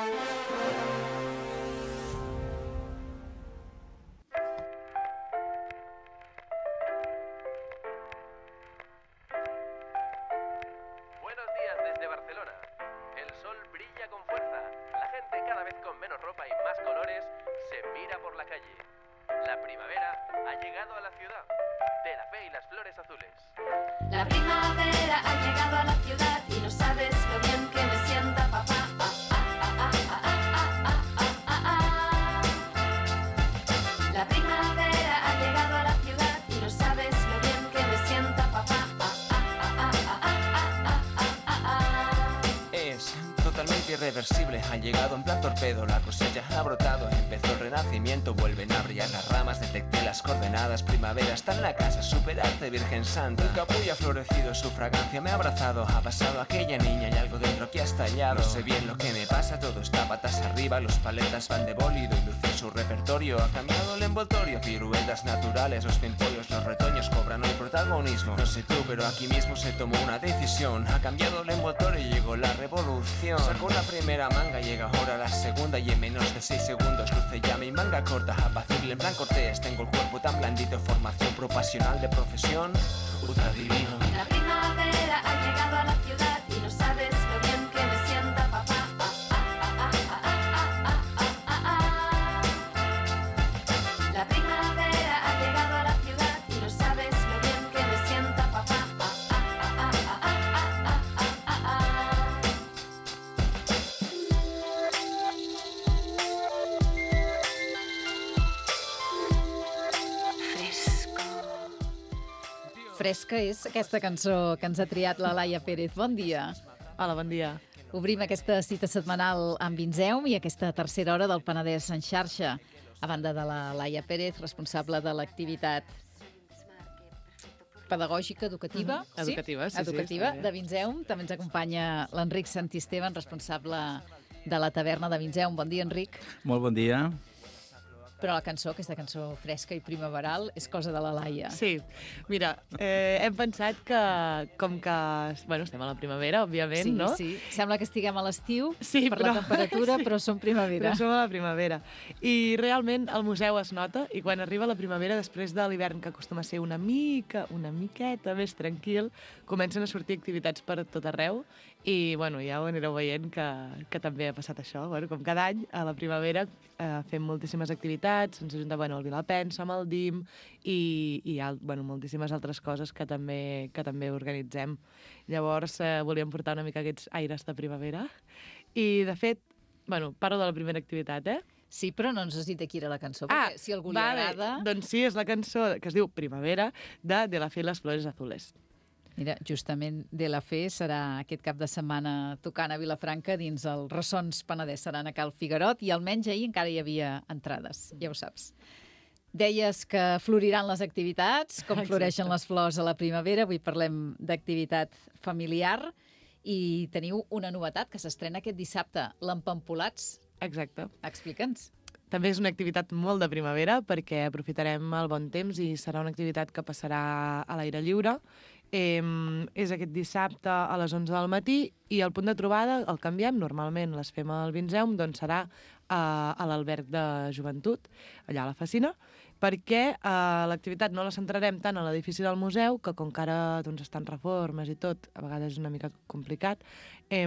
Buenos días desde Barcelona. El sol brilla con fuerza. La gente, cada vez con menos ropa y más colores, se mira por la calle. La primavera ha llegado a la ciudad. De la fe y las flores azules. La primavera ha llegado a la ciudad y no sabes lo bien que me sienta papá. La primavera ha llegado a la ciudad y no sabes lo bien que me sienta papá. Es totalmente irreversible, ha llegado en plan torpedo, la cosecha ha brotado, empezó el renacimiento, vuelven a brillar las ramas, detecté las coordenadas, primavera está en la casa, superarte Virgen Santa, el capullo ha florecido, su fragancia me ha abrazado, ha pasado aquella niña y algo dentro que ha estallado, no sé bien lo que me pasa, todo está patas arriba, los paletas van de bólido y luce su repertorio, ha cambiado el envoltorio, piruetas naturales, los pimpollos, los retoños cobran hoy protagonismo, no sé tú, pero aquí mismo se tomó una decisión, ha cambiado el envoltorio y llegó la revolución, sacó la primera manga, llega ahora la segunda y en menos de 6 segundos luce ya mi manga corta, apacible en plan cortés, tengo el cuerpo tan blandito, formación profesional de profesión, ultra divino. La primavera ha llegado a la ciudad y no sabes lo bien que me sienta papá. La primavera ha llegado a la ciudad y no sabes lo bien que me sienta papá. Fresca és aquesta cançó que ens ha triat la Laia Pérez. Bon dia. Hola, bon dia. Obrim aquesta cita setmanal amb Vinzeum i aquesta tercera hora del Penedès en xarxa. A banda de la Laia Pérez, responsable de l'activitat pedagògica, educativa. Educativa, sí, educativa, sí, de Vinzeum. També ens acompanya l'Enric Santisteban, responsable de la taverna de Vinzeum. Bon dia, Enric. Molt bon dia. Però la cançó, aquesta cançó fresca i primaveral, és cosa de la Laia. Sí, mira, hem pensat que, com que, bueno, estem a la primavera, òbviament, Sí, no? sí. Sembla que estiguem a l'estiu Sí, per la temperatura, sí. però som primavera. Però som a la primavera. I realment el museu es nota, i quan arriba la primavera, després de l'hivern, que acostuma a ser una miqueta més tranquil, comencen a sortir activitats per tot arreu, i bueno, ja ho anireu veient que també ha passat això. Bueno, com cada any, a la primavera fem moltíssimes activitats, ens ajunta el Vilapensa amb el DIM i moltíssimes altres coses que també organitzem. Llavors volíem portar una mica aquests aires de primavera i, de fet, parlo de la primera activitat, Sí, però no ens has dit de qui era la cançó, perquè si a algú li agrada... Doncs sí, és la cançó que es diu Primavera, de la fe y las flores azules. Mira, justament De la Fe serà aquest cap de setmana tocant a Vilafranca dins el Ressons Penedès. Seran a Cal Figuerot i almenys ahir encara hi havia entrades, ja ho saps. Deies que floriran les activitats, com floreixen les flors a la primavera. Avui parlem d'activitat familiar i teniu una novetat que s'estrena aquest dissabte, l'Empampolats. Exacte. Explica'ns. També és una activitat molt de primavera perquè aprofitarem el bon temps i serà una activitat que passarà a l'aire lliure. És aquest dissabte a les 11 del matí i el punt de trobada el canviem. Normalment les fem al Vinzeum, doncs serà a l'alberg de joventut, allà a la Facina, perquè l'activitat no la centrarem tant a l'edifici del museu, que com que ara estan reformes i tot, a vegades és una mica complicat, i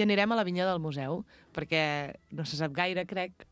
anirem a la vinya del museu, perquè no se sap gaire, crec,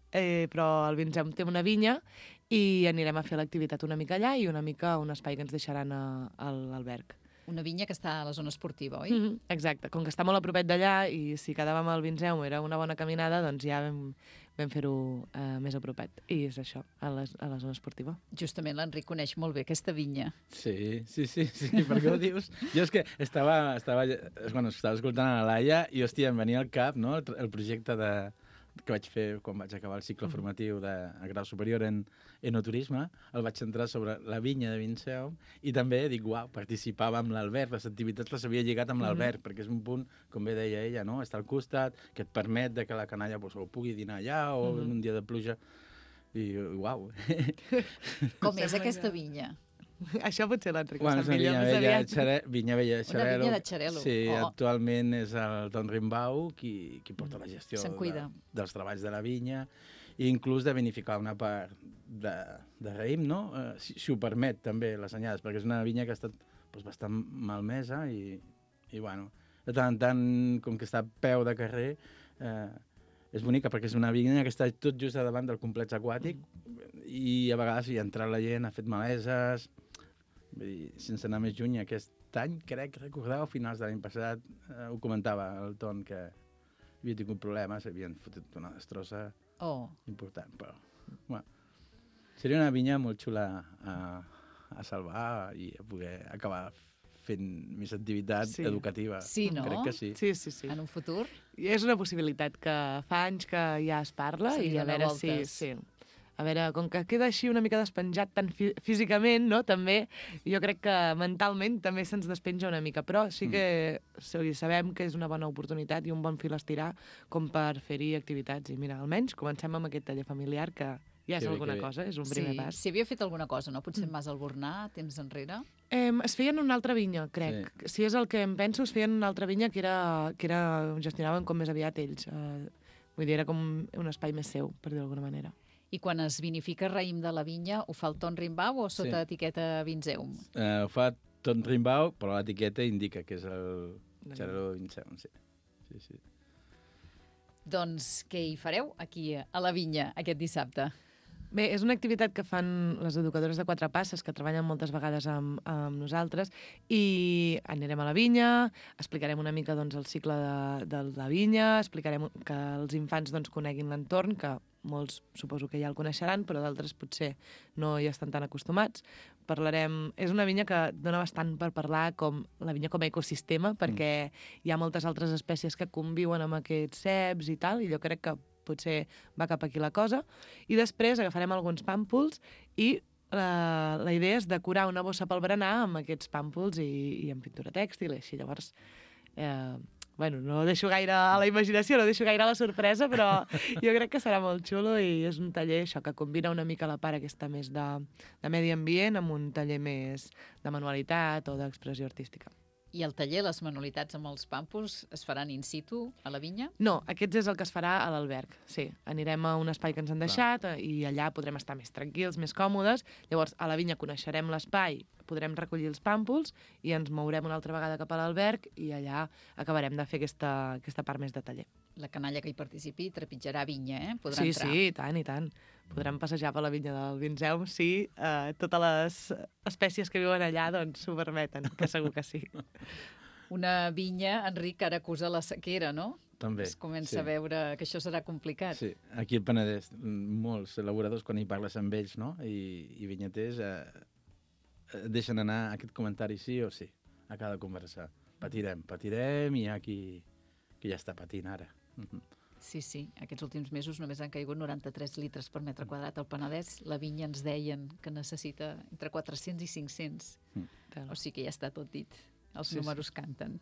però el Vinzeum té una vinya i anirem a fer l'activitat una mica allà i una mica a un espai que ens deixaran a l'alberg. Una vinya que està a la zona esportiva, oi? Exacte. Com que està molt a propet d'allà i si quedàvem al Vinzeum era una bona caminada, doncs ja vam fer-ho més a propet. I és això, a la zona esportiva. Justament l'Enric coneix molt bé aquesta vinya. Sí, per què ho dius? Jo és que estava escoltant a la Laia i, hòstia, em venia al cap, no?, el projecte que vaig fer quan vaig acabar el cicle formatiu de grau superior en enoturisme, el vaig centrar sobre la vinya de Vinzeum i també dic, uau, participava amb l'alberg, les activitats les havia lligat amb l'alberg, perquè és un punt, com bé deia ella, no?, està al costat, que et permet que la canalla o pugui dinar allà o en un dia de pluja, i uau. Com és aquesta vinya? Això potser l'Enric ho Bueno, sap és una millor, més aviat. vinya vella de Xarel·lo. vinya de Xarel·lo. Sí, Oh. actualment és el Don Rimbau qui porta la gestió Se'n cuida. dels treballs de la vinya i inclús de vinificar una part de raïm, no? Si ho permet, també, les anyades, perquè és una vinya que ha estat doncs, bastant malmesa i bueno, de tant en tant, com que està a peu de carrer, és bonica perquè és una vinya que està tot just a davant del complex aquàtic i a vegades hi ha entrat la gent, ha fet maleses, vull dir, sense anar més lluny, aquest any, crec recordar, a finals de l'any passat, ho comentava el Ton, que havia tingut problemes, havien fotut una destrossa important, però bueno, seria una vinya molt xula a salvar i a poder acabar fent més activitat educativa. Sí, no? Crec que sí. Sí. En un futur? I és una possibilitat que fa anys que ja es parla i a veure si... Sí. A veure, com que queda així una mica despenjat tant físicament, no? També, jo crec que mentalment també se'ns despenja una mica, però sí que sabem que és una bona oportunitat i un bon fil a estirar com per fer-hi activitats. I mira, almenys comencem amb aquest taller familiar que ja és alguna cosa, és un primer pas. Si havia fet alguna cosa, no? Potser Mas Albornà, temps enrere? Es feien una altra vinya, crec. Sí. Si és el que em penso, es feien una altra vinya que gestionaven com més aviat ells. Vull dir, era com un espai més seu, per dir d'alguna manera. I quan es vinifica raïm de la vinya, ho fa el Ton Rimbau o sota etiqueta Vinzeum? Ho fa Ton Rimbau, però l'etiqueta indica que és el Xarel·lo Vinzeum, sí. Doncs què hi fareu aquí a la vinya aquest dissabte? Bé, és una activitat que fan les educadores de Quatre Passes, que treballen moltes vegades amb nosaltres, i anirem a la vinya, explicarem una mica doncs, el cicle de la vinya, explicarem que els infants doncs, coneguin l'entorn, que molts suposo que ja el coneixeran, però d'altres potser no hi estan tan acostumats. Parlarem... És una vinya que dona bastant per parlar com la vinya com a ecosistema, perquè hi ha moltes altres espècies que conviuen amb aquests ceps i tal, i jo crec que potser va cap aquí la cosa. I després agafarem alguns pàmpols i la idea és decorar una bossa pel berenar amb aquests pàmpols i amb pintura tèxtil i així. Llavors, bueno, no deixo gaire a la imaginació, no deixo gaire a la sorpresa, però jo crec que serà molt xulo i és un taller això que combina una mica la part aquesta més de medi ambient amb un taller més de manualitat o d'expressió artística. I el taller, les manualitats amb els pàmpols, es faran in situ a la vinya? No, aquest és el que es farà a l'alberg, sí. Anirem a un espai que ens han deixat i allà podrem estar més tranquils, més còmodes. Llavors, a la vinya coneixerem l'espai, podrem recollir els pàmpols i ens mourem una altra vegada cap a l'alberg i allà acabarem de fer aquesta part més de taller. La canalla que hi participi trepitjarà vinya, Podrà entrar. Sí, i tant. Podrem passejar per la vinya del Vinzeum si totes les espècies que viuen allà doncs s'ho permeten, que segur que sí. Una vinya, Enric, ara acusa la sequera, no? També, es comença a veure que això serà complicat. Sí, aquí al Penedès, molts elaboradors, quan hi parles amb ells, no?, i vinyaters, deixen anar aquest comentari sí o sí, a cada conversa. Patirem, i hi ha qui ja està patint ara. Sí, aquests últims mesos només han caigut 93 litres per metre quadrat al Penedès. La vinya ens deien que necessita entre 400 i 500. O sigui que ja està tot dit. Els números canten.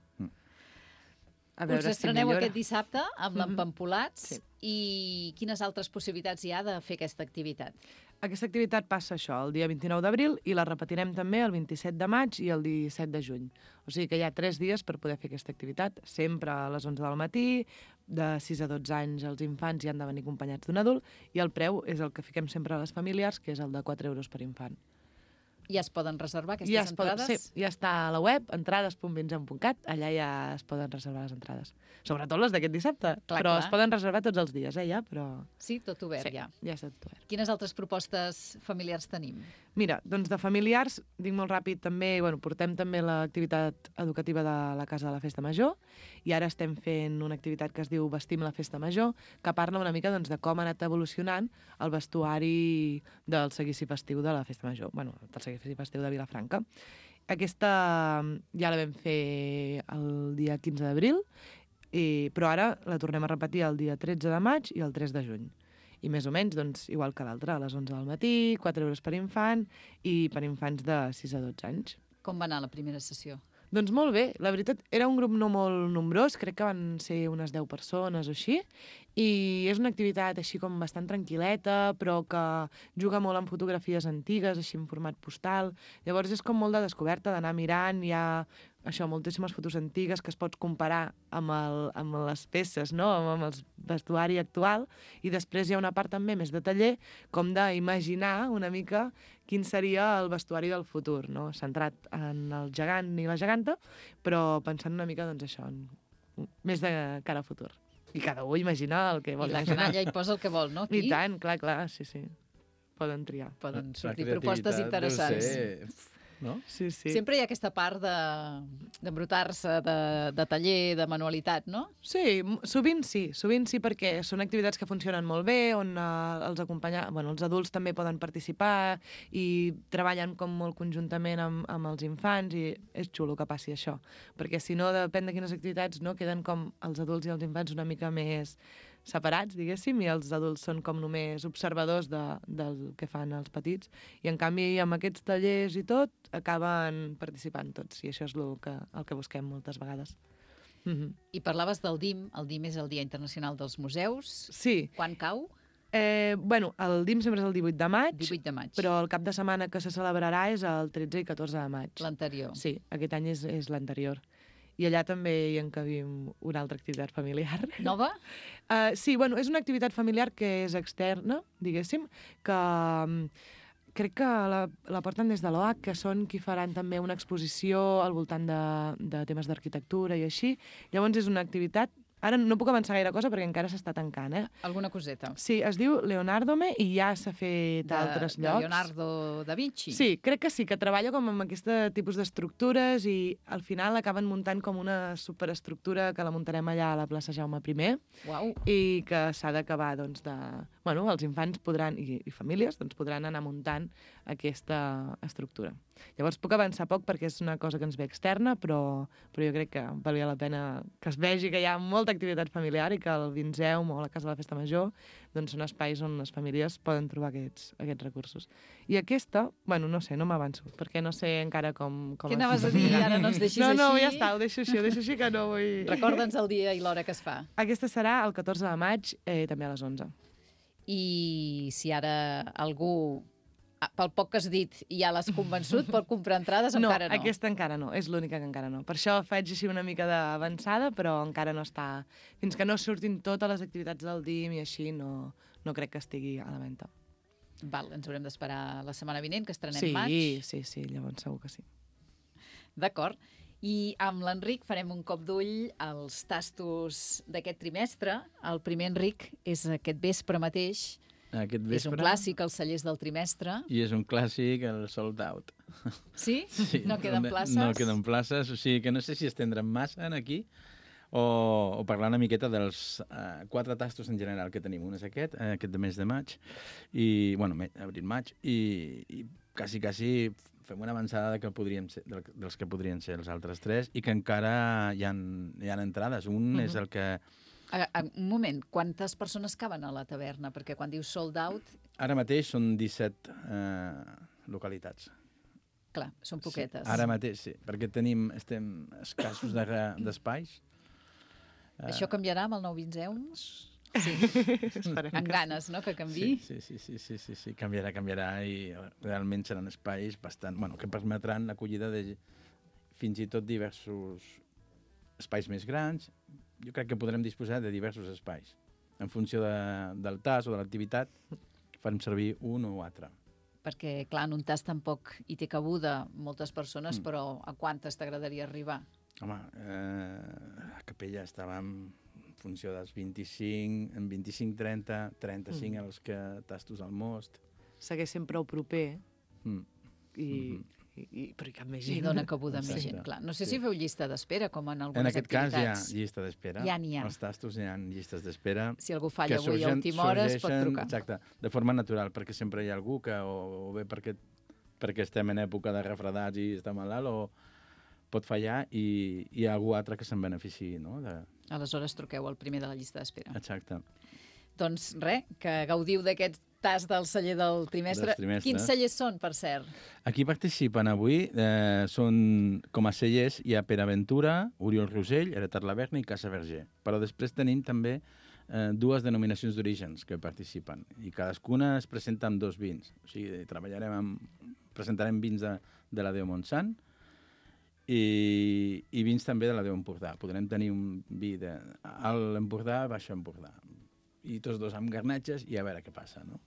Us estreneu aquest dissabte amb l'Empampolats i quines altres possibilitats hi ha de fer aquesta activitat? Aquesta activitat passa això, el dia 29 d'abril, i la repetirem també el 27 de maig i el 17 de juny. O sigui que hi ha 3 dies per poder fer aquesta activitat, sempre a les 11 del matí, de 6 a 12 anys els infants hi han de venir acompanyats d'un adult, i el preu és el que fiquem sempre a les familiars, que és el de 4 euros per infant. Ja es poden reservar aquestes entrades? Sí, ja està a la web, entrades.vinzeum.cat, allà ja es poden reservar les entrades. Sobretot les d'aquest dissabte, però es poden reservar tots els dies, ja, però... Sí, tot obert, ja. Ja està tot obert. Quines altres propostes familiars tenim? Mira, doncs de familiars, dic molt ràpid també, portem també l'activitat educativa de la Casa de la Festa Major, i ara estem fent una activitat que es diu Vestim la Festa Major, que parla una mica de com ha anat evolucionant el vestuari del seguici festiu de la Festa Major, del seguici festiu de Vilafranca. Aquesta ja la vam fer el dia 15 d'abril, però ara la tornem a repetir el dia 13 de maig i el 3 de juny. I més o menys, doncs, igual que l'altre, a les 11 del matí, 4 euros per infant i per infants de 6 a 12 anys. Com va anar la primera sessió? Doncs molt bé, la veritat, era un grup no molt nombrós, crec que van ser unes 10 persones o així, i és una activitat així com bastant tranquil·leta, però que juga molt amb fotografies antigues, així en format postal. Llavors és com molt de descoberta, d'anar mirant, hi ha això, moltíssimes fotos antigues que es pots comparar amb les peces, no? Amb el vestuari actual, i després hi ha una part també més de taller, com d'imaginar una mica quin seria el vestuari del futur, no? Centrat en el gegant i la geganta, però pensant una mica, doncs això, més de cara al futur. I cada un imagina el que vol. I la canalla hi posa el que vol, no? Aquí I tant, clar, sí. Poden triar. poden La sortir creativitat propostes deu interessants. ser, no? Sí. Sempre hi ha aquesta part d'embrutar-se, de taller, de manualitat, no? Sí, sovint sí, perquè són activitats que funcionen molt bé, on els adults també poden participar i treballen com molt conjuntament amb els infants, i és xulo que passi això, perquè si no, depèn de quines activitats, no, queden com els adults i els infants una mica més separats, diguéssim, i els adults són com només observadors del que fan els petits, i en canvi amb aquests tallers i tot acaben participant tots, i això és el que busquem moltes vegades. I parlaves del DIM. El DIM és el Dia Internacional dels Museus. Sí, Quan cau? el DIM sempre és el 18 de maig, 18 de maig. però el cap de setmana que se celebrarà és el 13 i 14 de maig. L'anterior. Sí, aquest any és l'anterior. I allà també hi encabim una altra activitat familiar. Nova? Sí, és una activitat familiar que és externa, diguéssim, que crec que la porten des de l'OAC, que són qui faran també una exposició al voltant de temes d'arquitectura i així. Llavors és una activitat. Ara no puc avançar gaire cosa perquè encara s'està tancant, Alguna coseta. Sí, es diu Leonardome i ja s'ha fet a altres llocs. De Leonardo da Vinci. Sí, crec que sí, que treballa com amb aquest tipus d'estructures i al final acaben muntant com una superestructura que la muntarem allà a la plaça Jaume I Uau. i que s'ha d'acabar, doncs, els infants podran, i famílies, doncs, podran anar muntant aquesta estructura. Llavors puc avançar poc perquè és una cosa que ens ve externa, però jo crec que valia la pena que es vegi que hi ha molta activitat familiar i que el Vinzeum o la Casa de la Festa Major doncs són espais on les famílies poden trobar aquests recursos. I aquesta, no sé, no m'avanço, perquè no sé encara com Què anaves a dir? Ara no ens deixis així. No, ja està, ho deixo així que no vull... Recorda'ns el dia i l'hora que es fa. Aquesta serà el 14 de maig, també a les 11. I si ara algú, pel poc que has dit, ja l'has convençut, pot comprar entrades o encara no? No, aquesta encara no, és l'única que encara no. Per això faig així una mica d'avançada, però encara no està... Fins que no surtin totes les activitats del DIM i així, no crec que estigui a la venda. Val, ens haurem d'esperar la setmana vinent, que estrenem maig. Sí, llavors segur que sí. D'acord. I amb l'Enric farem un cop d'ull als tastos d'aquest trimestre. El primer, Enric, és aquest vespre mateix. Aquest vespre. És un clàssic, els cellers del trimestre. I és un clàssic, el sold out. Sí? No queden places? No queden places, o sigui que no sé si estendrem massa aquí o parlar una miqueta dels 4 tastos en general que tenim. Un és aquest de mes de maig, i, abril-maig, i quasi fem una avançada dels que podrien ser els altres 3 i que encara hi ha entrades. Un és el que... Un moment, quantes persones caben a la taverna? Perquè quan dius sold out... Ara mateix són 17 localitats. Clar, són poquetes. Sí, ara mateix sí, perquè estem escassos d'espais. Això canviarà amb el nou Vinzeum? Sí. Amb ganes, no?, que canviï. Sí, canviarà i realment seran espais bastant... que permetran l'acollida de fins i tot diversos espais més grans. Jo crec que podrem disposar de diversos espais. En funció del tas o de l'activitat, farem servir un o altre. Perquè, clar, en un tas tampoc hi té cabuda moltes persones, però a quantes t'agradaria arribar? Home, a Capella estàvem en funció dels 25, en 25, 30, 35 els que tastos al most. Segueixen prou proper, però hi cap més gent. I dona cabuda més gent, clar. No sé si feu llista d'espera, com en algunes activitats. En aquest cas hi ha llista d'espera. Ja n'hi ha. Els tastos hi ha llistes d'espera. Si algú falla avui a última hora es pot trucar. Exacte, de forma natural, perquè sempre hi ha algú que o bé perquè estem en època de refredats i està malalt, o pot fallar i hi ha algú altre que se'n beneficiï, no? Aleshores truqueu el primer de la llista d'espera. Exacte. Doncs res, que gaudiu d'aquest tas del celler del trimestre. Dels trimestres. Quins cellers són, per cert? Aquí participen avui, són com a cellers, hi ha Pere Aventura, Oriol Rosell, Heretat Laverna i Casa Verger. Però després tenim també dues denominacions d'orígens que participen i cadascuna es presenta amb 2 vins. O sigui, presentarem vins de la Déu Montsant i vins també de la Déu Empordà. Podrem tenir un vi de Alt Empordà, Baix Empordà. I tots dos amb garnatges i a veure què passa, no?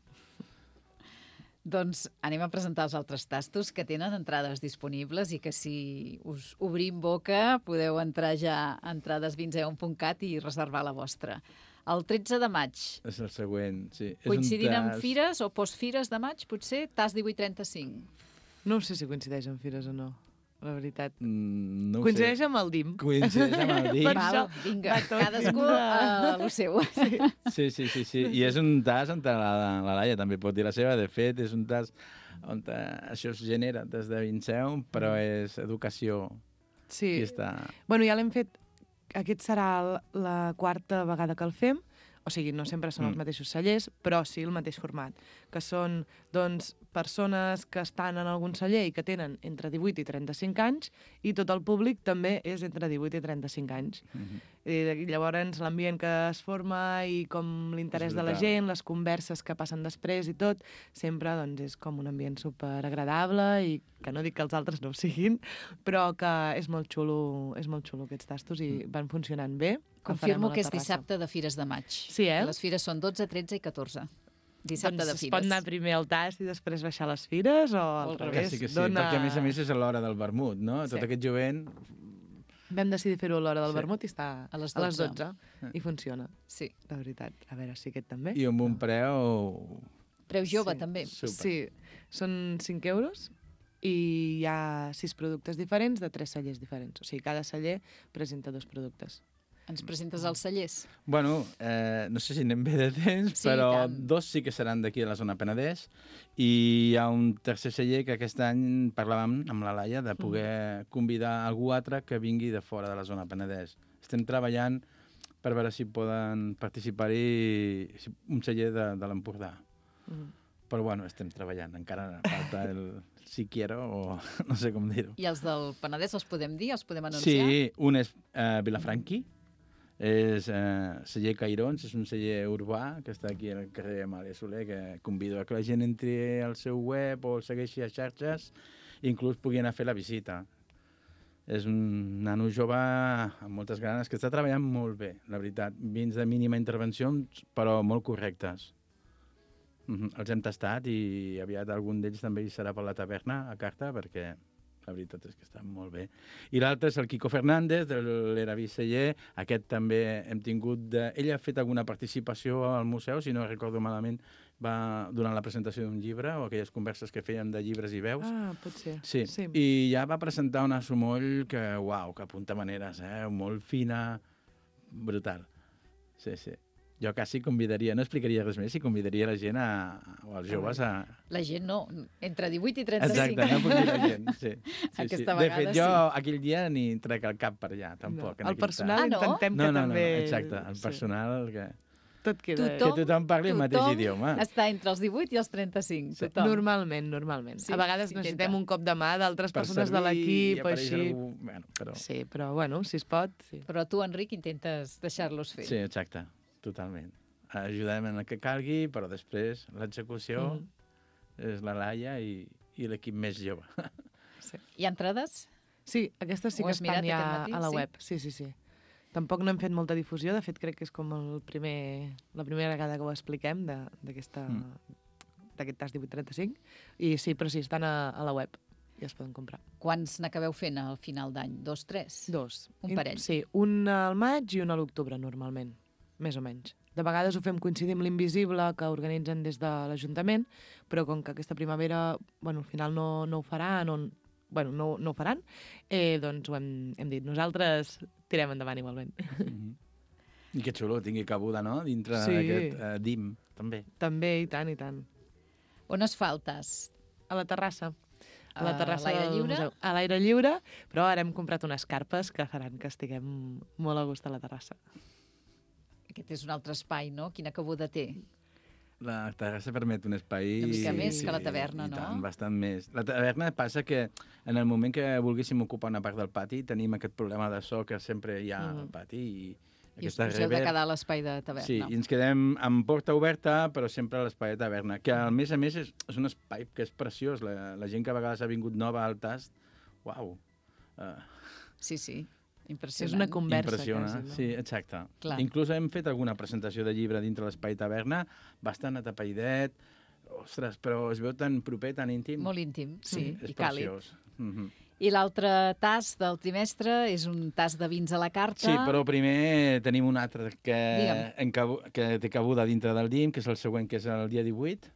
Doncs anem a presentar els altres tastos que tenen entrades disponibles i que si us obrim boca podeu entrar ja a entradesvinzeu.cat i reservar la vostra. El 13 de maig, És el següent, sí. coincidint amb fires o postfires de maig, potser, tas 1835. No sé si coincideix amb fires o no, la veritat. No ho Coincideix sé. amb el DIM. Coincideix amb el DIM. Per això Vinga, va tot cadascú dintre. lo seu. Sí. I és un tas on la Laia també pot dir la seva. De fet, és un tas on això es genera des de Vinceu, però és educació Sí. qui està... Bueno, ja l'hem fet. Aquest serà la 4a vegada que el fem. O sigui, no sempre són els mateixos cellers, però sí el mateix format. Que són, doncs, persones que estan en algun celler i que tenen entre 18 i 35 anys i tot el públic també és entre 18 i 35 anys. I llavors l'ambient que es forma i com l'interès de la brutal. gent, les converses que passen després i tot, sempre doncs, és com un ambient superagradable i que no dic que els altres no ho siguin, però que és molt xulo aquests tastos i van funcionant bé. El farem Confirmo a la que és terrassa. dissabte de Fires de Maig. Sí, eh? Les fires són 12, 13 i 14. Dissabte Doncs de es Fires. pot anar primer al tast i després baixar les fires o al al revés? Que sí, perquè a més és a l'hora del vermut, no? Sí. Tot aquest jovent... Vam decidir fer-ho a l'hora del Sí. vermut i està A les a les 12. 12 i funciona, Sí. la veritat. A veure si aquest també. I amb un preu... Preu jove, Sí. també. Super. Sí, són 5 euros i hi ha 6 productes diferents de 3 cellers diferents. O sigui, cada celler presenta 2 productes. Ens presentes als cellers. Bueno, no sé si anem bé de temps, Sí, però i tant. 2 sí que seran d'aquí de la zona Penedès i hi ha un tercer celler que aquest any parlàvem amb la Laia de poder convidar algú altre que vingui de fora de la zona Penedès. Estem treballant per veure si poden participar-hi un celler de l'Empordà. Però bueno, estem treballant. Encara falta el si quiero o no sé com dir-ho. I els del Penedès els podem dir? Els podem anunciar? Sí, un és Vilafranqui, és celler Cairons, és un celler urbà que està aquí al carrer Amàlia Soler, que convido a que la gent entri al seu web o el segueixi a xarxes i inclús pugui anar a fer la visita. És un nano jove amb moltes ganes que està treballant molt bé, la veritat. Vins de mínima intervenció, però molt correctes. Els hem tastat i aviat algun d'ells també hi serà per la taverna a carta perquè la veritat és que està molt bé. I l'altre és el Quico Fernández, de l'Eraví Celler. Aquest també hem tingut... Ell ha fet alguna participació al museu, si no recordo malament, va durant la presentació d'un llibre o aquelles converses que fèiem de llibres i veus. Ah, pot ser. Sí, i ja va presentar una sumoll que, uau, que apunta maneres, molt fina, brutal. Sí, sí. Jo quasi convidaria, no explicaria res més, i convidaria la gent o els joves a... La gent no, entre 18 i 35. Exacte, no puc dir la gent, sí. Aquesta De vegada fet, jo sí. aquell dia ni trec el cap per allà, tampoc. en El aquell personal Ah, no? intentem No, que no, també... exacte, el personal que Tot queda... Que tothom parli el mateix idioma. Està entre els 18 i els 35, Sí. tothom. Normalment. Sí, A vegades s'intenta. necessitem un cop de mà d'altres per persones de servir i l'equip, apareix així... algú, bueno, però... Sí, però bueno, si es pot, sí. Però tu, Enric, intentes deixar-los fer. Sí, exacte, totalment. Ajudem en el que calgui, però després l'execució és la Laia i l'equip més jove. Hi ha entrades? Sí, aquestes sí Ho que has estan mirat ja aquest matí? a la Sí? web. Sí. Tampoc no hem fet molta difusió, de fet crec que és com la primera vegada que ho expliquem d'aquest tas 1835. I sí, però sí, estan a la web i es poden comprar. Quants n'acabeu fent al final d'any? 2, 3? 2. Un parell. Sí, un al maig i un a l'octubre, normalment, més o menys. De vegades ho fem coincidir amb l'Invisible, que organitzen des de l'Ajuntament, però com que aquesta primavera, bueno, al final no ho faran, no ho faran, doncs ho hem dit. Nosaltres tirem endavant igualment. I que xulo, tingui cabuda, no?, dintre Sí. d'aquest DIM, també. També, i tant, i tant. On es fa el tas? A la terrassa. A A la terrassa l'aire del lliure? museu. A l'aire lliure, però ara hem comprat unes carpes que faran que estiguem molt a gust a la terrassa. Aquest és un altre espai, no? Quina cabuda té? La terrassa permet un espai... Una mica més que la taverna, i no? tant, bastant més. La taverna passa que en el moment que volguéssim ocupar una part del pati tenim aquest problema de so que sempre hi ha al pati i I us heu de quedar a l'espai de taverna. Sí, i ens quedem amb porta oberta, però sempre a l'espai de taverna, que a més és un espai que és preciós. La gent que a vegades ha vingut nova al tast, uau! Sí, impressionant. És una conversa, Impressiona, quasi, no? sí, exacte. Clar. Inclús hem fet alguna presentació de llibre dintre l'espai taverna, bastant atapaidet, ostres, però es veu tan proper, tan íntim. Molt íntim, sí, És i càlid. preciós. I l'altre tast del trimestre és un tast de vins a la carta. Sí, però primer tenim un altre Digue'm. que té cabuda dintre del DIM, que és el següent, que és el dia 18.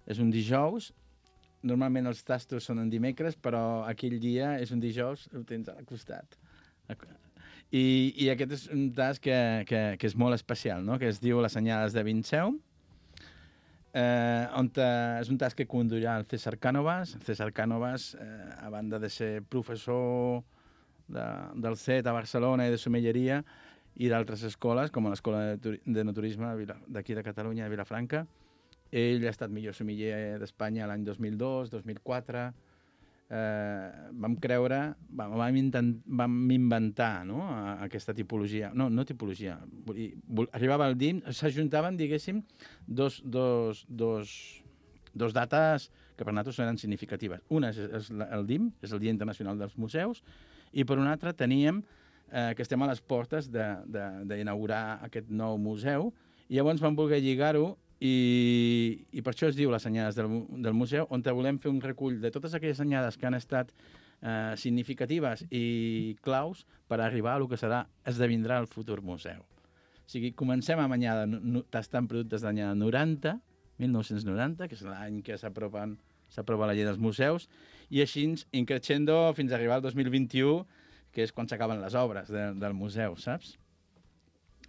És un dijous. Normalment els tastos són en dimecres, però aquell dia és un dijous, ho tens al costat. I aquest és un tast que és molt especial, no? Que es diu Les Anyades de Vinseum, és un tast que conduirà el César Cánovas. César Cánovas, a banda de ser professor del CET a Barcelona i de somelleria i d'altres escoles, com l'Escola de Naturisme d'aquí de Catalunya, de Vilafranca, ell ha estat millor sommelier d'Espanya l'any 2002, 2004. Vam inventar, no? Aquesta tipologia. No tipologia. Arribava al DIM, s'ajuntaven, diguéssim, dos dates que per nosaltres eren significatives. Una és el DIM, és el Dia Internacional dels Museus, i per una altra teníem que estem a les portes d'inaugurar aquest nou museu, i llavors vam voler lligar-ho i per això es diu Les Anyades del museu, on volem fer un recull de totes aquelles anyades que han estat significatives i claus per arribar a el que esdevindrà el futur museu. O sigui, comencem amb anyada tastant productes d'anyada 1990, que és l'any que s'aprova la llei dels museus, i així increixendo fins a arribar al 2021, que és quan s'acaben les obres del museu, saps?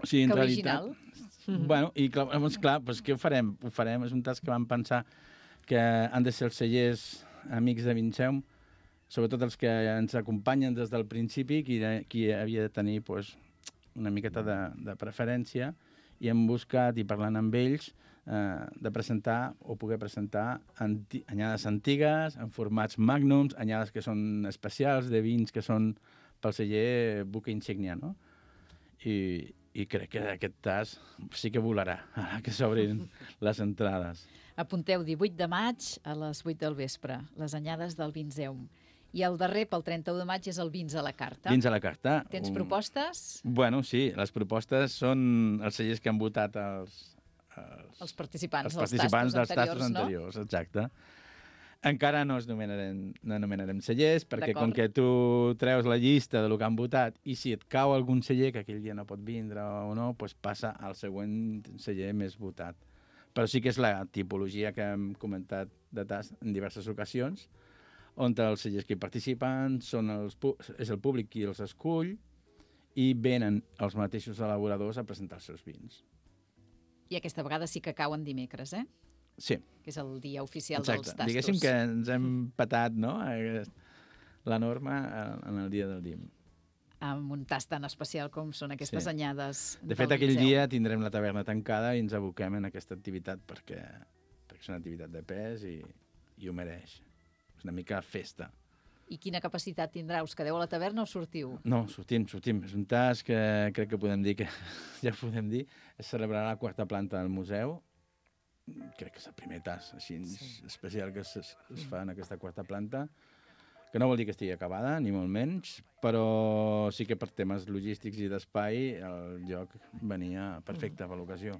O sigui, en realitat... Bueno, i llavors, clar, doncs què ho farem? Ho farem, és un tast que vam pensar que han de ser els cellers amics de Vinseum, sobretot els que ens acompanyen des del principi, qui havia de tenir doncs, una miqueta de preferència, i hem buscat, i parlant amb ells, de presentar o poder presentar anyades antigues, en formats magnums, anyades que són especials, de vins que són pel celler buque insígnia, no? I crec que aquest tast sí que volarà, ara que s'obrin les entrades. Apunteu 18 de maig a les 8 del vespre, les anyades del Vinseum. I el darrer, pel 31 de maig, és el Vins a la carta. Vins a la carta. Tens propostes? Bueno, sí, les propostes són els cellers que han votat Els participants dels tastos anteriors, no? Exacte. Encara no anomenarem cellers, perquè com que tu treus la llista del que han votat i si et cau algun celler que aquell dia no pot vindre o no, doncs passa al següent celler més votat. Però sí que és la tipologia que hem comentat de tast en diverses ocasions, on els cellers que hi participen és el públic qui els escull i venen els mateixos elaboradors a presentar els seus vins. I aquesta vegada sí que cauen dimecres, eh? Sí. Que és el dia oficial dels tastos. Diguéssim que ens hem patat, no?, la norma en el dia del DIM. Amb un tast tan especial com són aquestes anyades del Vinseum. De fet, aquell dia tindrem la taverna tancada i ens aboquem en aquesta activitat perquè és una activitat de pes i ho mereix. És una mica festa. I quina capacitat tindrà? Us quedeu a la taverna o sortiu? No, sortim. És un tast que crec que podem dir que ja podem dir. Es celebrarà a la 4ª planta del museu. Crec que és el primer tast així especial que es fa en aquesta 4ª planta, que no vol dir que estigui acabada, ni molt menys, però sí que per temes logístics i d'espai el lloc venia perfecte per l'ocasió.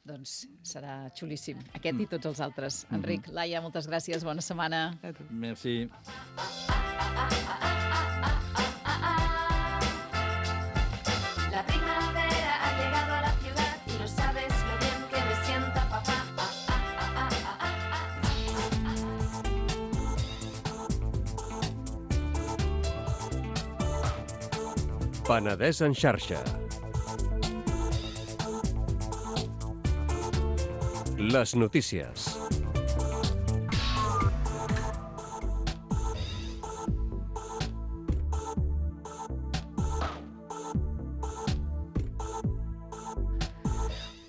Doncs serà xulíssim, aquest i tots els altres. Enric, Laia, moltes gràcies, bona setmana. Merci. La primavera ha llegado a la ciudad y no sabes lo bien que me sienta papá. Penedès en xarxa. Les notícies.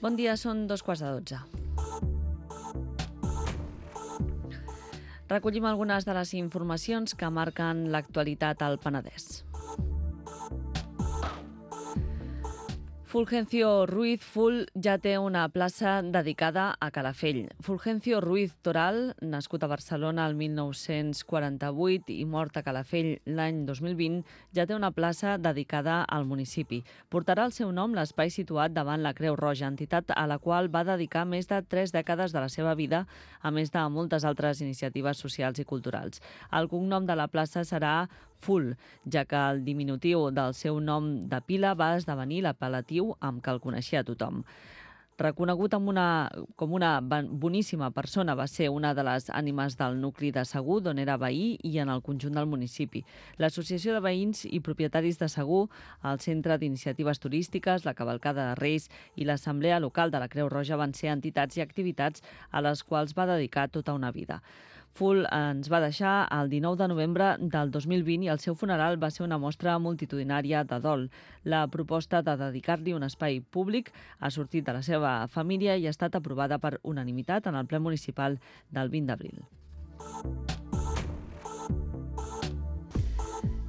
Bon dia, són 2:15. Recollim algunes de les informacions que marquen l'actualitat al Penedès. Fulgencio Ruiz Ful ja té una plaça dedicada a Calafell. Fulgencio Ruiz Toral, nascut a Barcelona el 1948 i mort a Calafell l'any 2020, ja té una plaça dedicada al municipi. Portarà el seu nom l'espai situat davant la Creu Roja, entitat a la qual va dedicar més de 3 dècades de la seva vida, a més de moltes altres iniciatives socials i culturals. El cognom de la plaça serà Ful, ja que el diminutiu del seu nom de pila va esdevenir l'apel·latiu amb què el coneixia tothom. Reconegut com una boníssima persona, va ser una de les ànimes del nucli de Segur, d'on era veí, i en el conjunt del municipi. L'Associació de Veïns i Propietaris de Segur, el Centre d'Iniciatives Turístiques, la Cavalcada de Reis i l'Assemblea Local de la Creu Roja van ser entitats i activitats a les quals va dedicar tota una vida. Ful ens va deixar el 19 de novembre del 2020 i el seu funeral va ser una mostra multitudinària de dol. La proposta de dedicar-li un espai públic ha sortit de la seva família i ha estat aprovada per unanimitat en el ple municipal del 20 d'abril.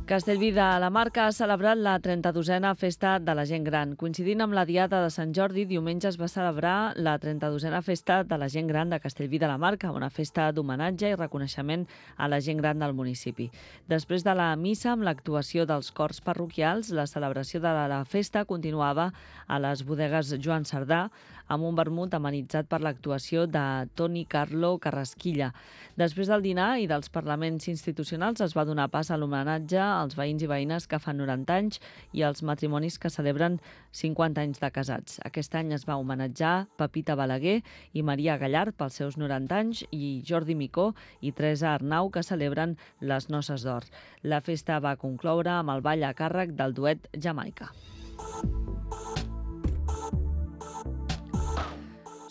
Castellví de la Marca ha celebrat la 32a Festa de la Gent Gran. Coincidint amb la Diada de Sant Jordi, diumenge es va celebrar la 32a Festa de la Gent Gran de Castellví de la Marca, una festa d'homenatge i reconeixement a la gent gran del municipi. Després de la missa amb l'actuació dels cors parroquials, la celebració de la festa continuava a les bodegues Joan Cerdà, amb un vermut amenitzat per l'actuació de Toni Carlo Carrasquilla. Després del dinar i dels parlaments institucionals es va donar pas a l'homenatge als veïns i veïnes que fan 90 anys i als matrimonis que celebren 50 anys de casats. Aquest any es va homenatjar Pepita Balaguer i Maria Gallard pels seus 90 anys i Jordi Micó i Teresa Arnau que celebren les noces d'or. La festa va concloure amb el ball a càrrec del duet Jamaica.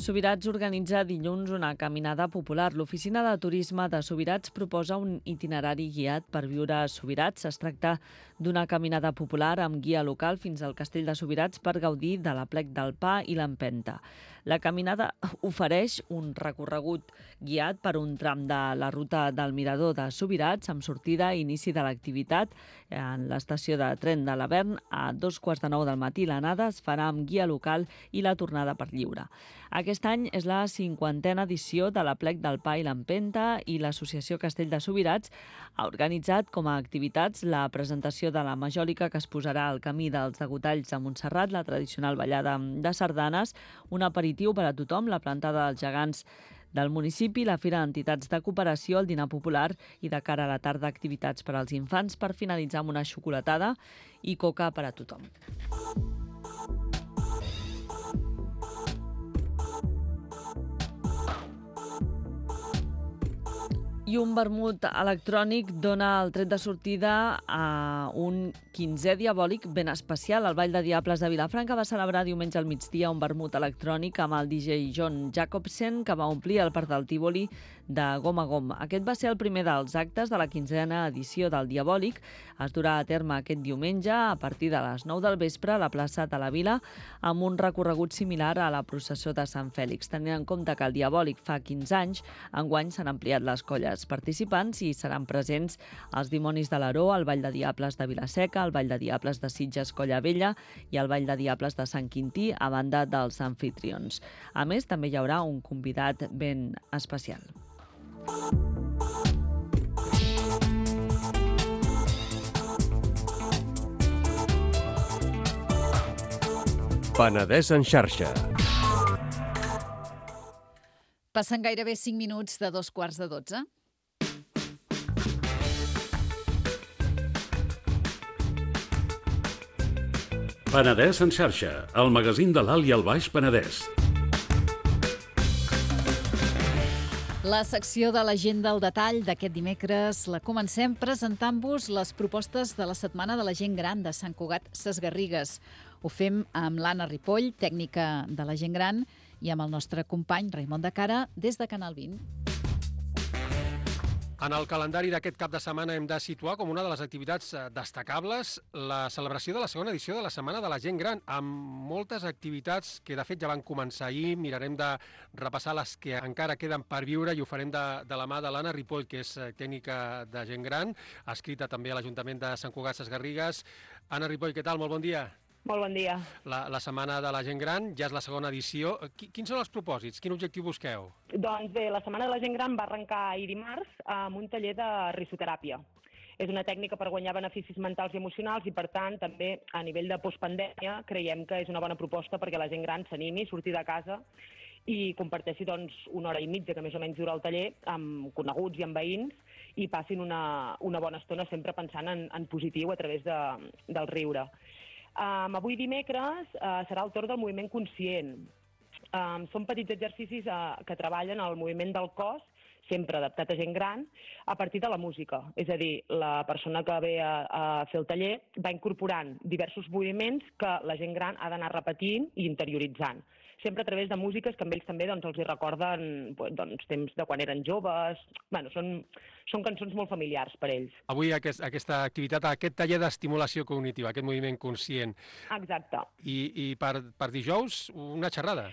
Subirats organitza dilluns una caminada popular. L'Oficina de Turisme de Subirats proposa un itinerari guiat per viure a Subirats. Es tracta d'una caminada popular amb guia local fins al Castell de Subirats per gaudir de l'Aplec del Pa i l'Empenta. La caminada ofereix un recorregut guiat per un tram de la ruta del Mirador de Subirats amb sortida i inici de l'activitat en l'estació de tren de l'Avern a 2:15 del matí. L'anada es farà amb guia local i la tornada per lliure. Aquest any és la 50a edició de l'Aplec del Pa i l'Empenta i l'Associació Castell de Subirats ha organitzat com a activitats la presentació de la Majòlica que es posarà al camí dels Degotalls de Montserrat, la tradicional ballada de sardanes, un aperitiu per a tothom, la plantada dels gegants del municipi, la Fira d'Entitats de Cooperació, el dinar popular i de cara a la tarda activitats per als infants per finalitzar amb una xocolatada i coca per a tothom. I un vermut electrònic dona el tret de sortida a un 15è diabòlic ben especial. El Ball de Diables de Vilafranca va celebrar diumenge al migdia un vermut electrònic amb el DJ John Jacobsen, que va omplir el Parc del Tívoli de gom a gom. Aquest va ser el primer dels actes de la 15a edició del Diabòlic. Es durà a terme aquest diumenge a partir de les 9 del vespre a la plaça de la Vila amb un recorregut similar a la processó de Sant Fèlix. Tenint en compte que el Diabòlic fa 15 anys, enguany s'han ampliat les colles participants i seran presents els Dimonis de l'Aró, el Ball de Diables de Vilaseca, el Ball de Diables de Sitges Colla Vella i el Ball de Diables de Sant Quintí, a banda dels anfitrions. A més, també hi haurà un convidat ben especial. Penedès en xarxa. Passen gairebé 5 minuts de 2:15. Penedès en xarxa, el magazín de l'Alt i el Baix Penedès. La secció de l'Agenda al detall d'aquest dimecres la comencem presentant-vos les propostes de la Setmana de la Gent Gran de Sant Cugat Sesgarrigues. Ho fem amb l'Anna Ripoll, tècnica de la gent gran, i amb el nostre company Raimon de Cara des de Canal 20. En el calendari d'aquest cap de setmana hem de situar com una de les activitats destacables la celebració de la segona edició de la Setmana de la Gent Gran, amb moltes activitats que de fet ja van començar ahir. Mirarem de repassar les que encara queden per viure i ho farem de la mà de l'Anna Ripoll, que és tècnica de gent gran, adscrita també a l'Ajuntament de Sant Cugat Sesgarrigues. Anna Ripoll, què tal? Molt bon dia. Molt bon dia. La Setmana de la Gent Gran ja és la segona edició. Quins són els propòsits? Quin objectiu busqueu? Doncs bé, la Setmana de la Gent Gran va arrencar ahir dimarts amb un taller de risoteràpia. És una tècnica per guanyar beneficis mentals i emocionals i, per tant, també a nivell de postpandèmia creiem que és una bona proposta perquè la gent gran s'animi a sortir de casa i comparteixi una hora i mitja, que més o menys dura el taller, amb coneguts i amb veïns, i passin una bona estona sempre pensant en positiu a través del riure. Avui dimecres serà el torn del moviment conscient. Són petits exercicis que treballen el moviment del cos, sempre adaptat a gent gran, a partir de la música. És a dir, la persona que ve a fer el taller va incorporant diversos moviments que la gent gran ha d'anar repetint i interioritzant. Sempre a través de músiques que amb ells també els hi recorden temps de quan eren joves. Bueno, són cançons molt familiars per ells. Avui aquesta activitat, aquest taller d'estimulació cognitiva, aquest moviment conscient. Exacte. I per dijous una xerrada.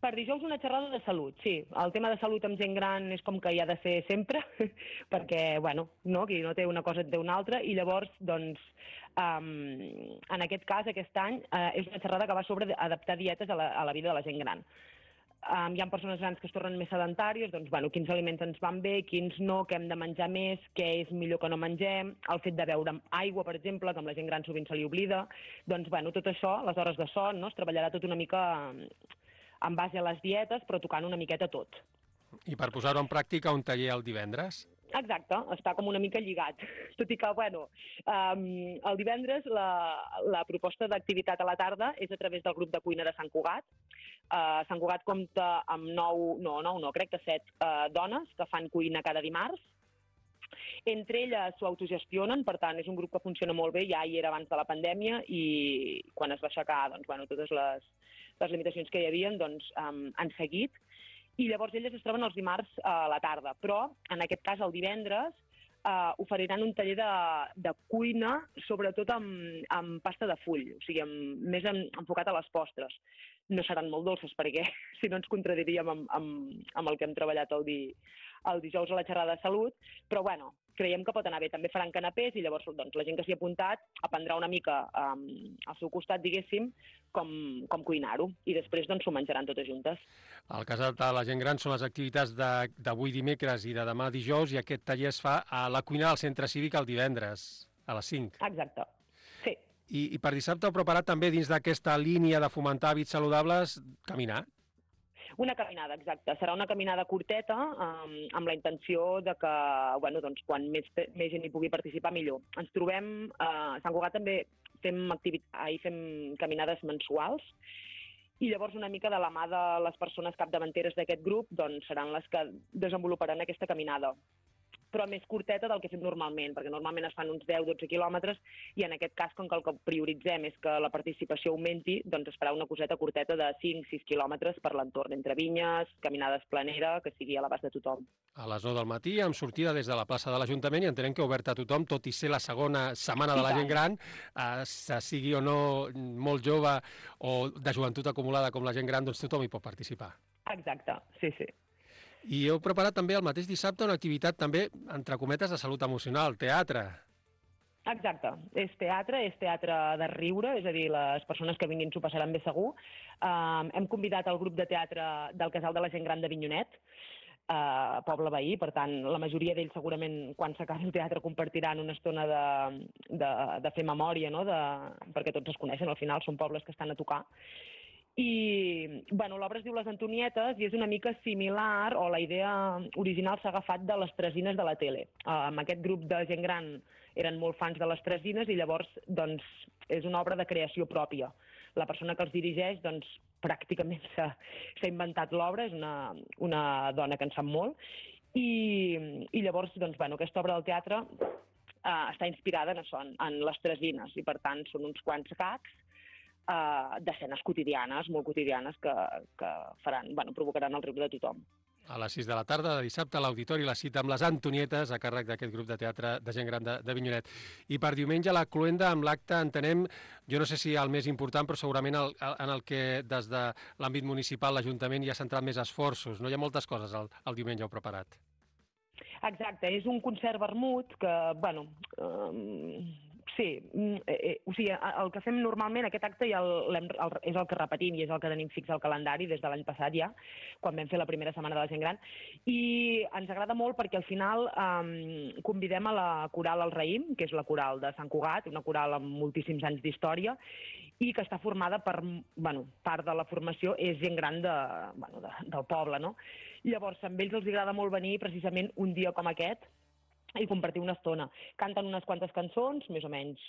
Per dijous una xerrada de salut, sí. El tema de salut amb gent gran és com que hi ha de ser sempre, perquè, qui no té una cosa en té una altra, i llavors, en aquest cas, aquest any, és una xerrada que va sobre adaptar dietes a la vida de la gent gran. Hi ha persones grans que es tornen més sedentàries, quins aliments ens van bé, quins no, què hem de menjar més, què és millor que no mengem, el fet de beure aigua, per exemple, que amb la gent gran sovint se li oblida. Tot això, les hores de son, es treballarà tot una mica en base a les dietes, però tocant una miqueta tot. I per posar-ho en pràctica, un taller el divendres? Exacte, està com una mica lligat. Tot i que, el divendres la proposta d'activitat a la tarda és a través del grup de cuina de Sant Cugat. Sant Cugat compta amb 7 dones que fan cuina cada dimarts. Entre elles s'ho autogestionen, per tant, és un grup que funciona molt bé, ja hi era abans de la pandèmia, i quan es va aixecar totes les limitacions que hi havia han seguit. I llavors elles es troben els dimarts a la tarda, però en aquest cas el divendres oferiran un taller de cuina, sobretot amb pasta de full, o sigui, més enfocat a les postres. No seran molt dolces perquè si no ens contradiríem amb el que hem treballat el dijous a la xerrada de salut, però creiem que pot anar bé. També faran canapés i llavors la gent que s'hi ha apuntat aprendrà una mica al seu costat, diguéssim, com cuinar-ho, i després s'ho menjaran totes juntes. El cas de la gent gran són les activitats d'avui dimecres i de demà dijous, i aquest taller es fa a la cuina del Centre Cívic el divendres, a les 5. Exacte, sí. I per dissabte heu preparat també, dins d'aquesta línia de fomentar hàbits saludables, caminar? Una caminada, exacte. Serà una caminada curteta, amb la intenció de que, quan més gent hi pugui participar, millor. Ens trobem, a Sant Cugat també fem caminades mensuals, i llavors una mica de la mà de les persones capdavanteres d'aquest grup seran les que desenvoluparan aquesta caminada, però més curteta del que fem normalment, perquè normalment es fan uns 10-12 quilòmetres, i en aquest cas, com que el que prioritzem és que la participació augmenti, es farà una coseta curteta de 5-6 quilòmetres per l'entorn, entre vinyes, caminades planera, que sigui a l'abast de tothom. A les 9 del matí, amb sortida des de la plaça de l'Ajuntament, i entenem que oberta a tothom, tot i ser la segona setmana de la gent gran, sigui o no molt jove o de joventut acumulada com la gent gran, tothom hi pot participar. Exacte, sí. I heu preparat també el mateix dissabte una activitat també, entre cometes, de salut emocional, teatre. Exacte, és teatre de riure, és a dir, les persones que vinguin s'ho passaran bé segur. Hem convidat el grup de teatre del Casal de la Gent Gran d'Avinyonet, poble veí, per tant, la majoria d'ells segurament quan s'acabi el teatre compartiran una estona de fer memòria, perquè tots es coneixen, al final són pobles que estan a tocar. I l'obra es diu Les Antonietes i és una mica similar, o la idea original s'ha agafat de les Tresines de la tele. Amb aquest grup de gent gran eren molt fans de les Tresines i llavors és una obra de creació pròpia. La persona que els dirigeix pràcticament s'ha inventat l'obra, és una dona que en sap molt, i llavors aquesta obra del teatre està inspirada en les Tresines, i per tant són uns quants gags d'escenes quotidianes, molt quotidianes, que provocaran el riure de tothom. A les 6 de la tarda de dissabte a l'Auditori la cita amb les Antonietes a càrrec d'aquest grup de teatre de gent gran de Vinyonet. I per diumenge la cloenda amb l'acte entenem, jo no sé si el més important, però segurament en el que des de l'àmbit municipal l'Ajuntament hi ha centrat més esforços. No hi ha moltes coses el diumenge heu preparat. Exacte, és un concert vermut que, sí, o sigui, el que fem normalment, aquest acte ja és el que repetim i és el que tenim fix al calendari des de l'any passat ja, quan vam fer la primera setmana de la gent gran, i ens agrada molt perquè al final convidem a la coral El Raïm, que és la coral de Sant Cugat, una coral amb moltíssims anys d'història, i que està formada per, part de la formació és gent gran del poble, no? Llavors, amb ells els agrada molt venir precisament un dia com aquest, i compartir una estona. Canten unes quantes cançons, més o menys,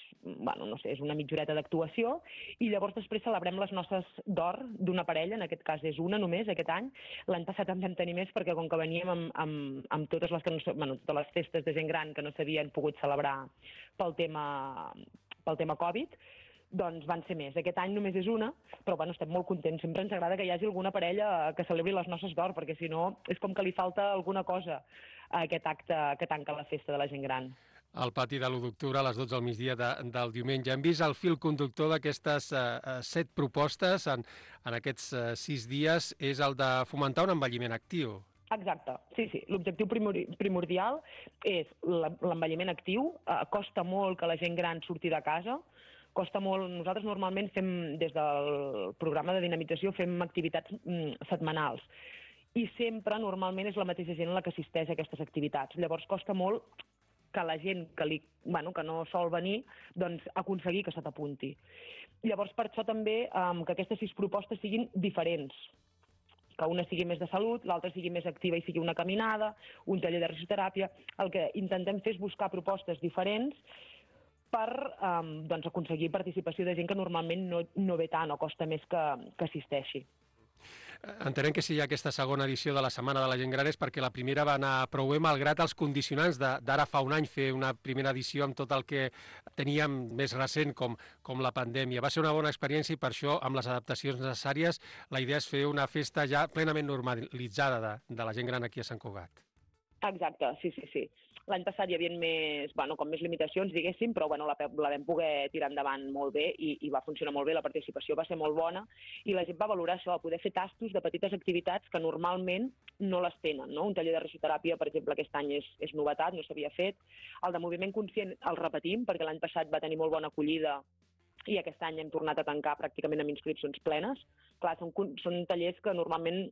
és una mitja horeta d'actuació, i llavors després celebrem les noces d'or d'una parella, en aquest cas és una només, aquest any. L'any passat en vam tenir més perquè com que veníem amb totes les festes de gent gran que no s'havien pogut celebrar pel tema Covid, doncs van ser més. Aquest any només és una, però estem molt contents. Sempre ens agrada que hi hagi alguna parella que celebri les noces d'or, perquè si no és com que li falta alguna cosa a aquest acte que tanca la festa de la gent gran. Al pati de l'1 d'octubre, a les 12 del migdia del diumenge. Hem vist el fil conductor d'aquestes 7 propostes en aquests 6 dies, és el de fomentar un envelliment actiu. Exacte, sí. L'objectiu primordial és l'envelliment actiu. Costa molt que la gent gran surti de casa, costa molt. Nosaltres normalment fem, des del programa de dinamització, fem activitats setmanals. I sempre, normalment, és la mateixa gent la que assisteix a aquestes activitats. Llavors, costa molt que la gent que no sol venir, doncs, aconseguir que se t'apunti. Llavors, per això també que aquestes 6 propostes siguin diferents. Que una sigui més de salut, l'altra sigui més activa i sigui una caminada, un taller de risoteràpia. El que intentem fer és buscar propostes diferents per aconseguir participació de gent que normalment no ve tant o costa més que assisteixi. Entenem que si hi ha aquesta segona edició de la Setmana de la Gent Gran és perquè la primera va anar prou bé, malgrat els condicionants d'ara fa un any fer una primera edició amb tot el que teníem més recent com la pandèmia. Va ser una bona experiència i per això, amb les adaptacions necessàries, la idea és fer una festa ja plenament normalitzada de la gent gran aquí a Sant Cugat. Exacte, sí. L'any passat hi havia més limitacions, diguéssim, però la vam poder tirar endavant molt bé i va funcionar molt bé, la participació va ser molt bona i la gent va valorar això, poder fer tastos de petites activitats que normalment no les tenen, no? Un taller de risoteràpia, per exemple, aquest any és novetat, no s'havia fet. El de moviment conscient el repetim, perquè l'any passat va tenir molt bona acollida i aquest any hem tornat a tancar pràcticament amb inscripcions plenes. Clar, són tallers que normalment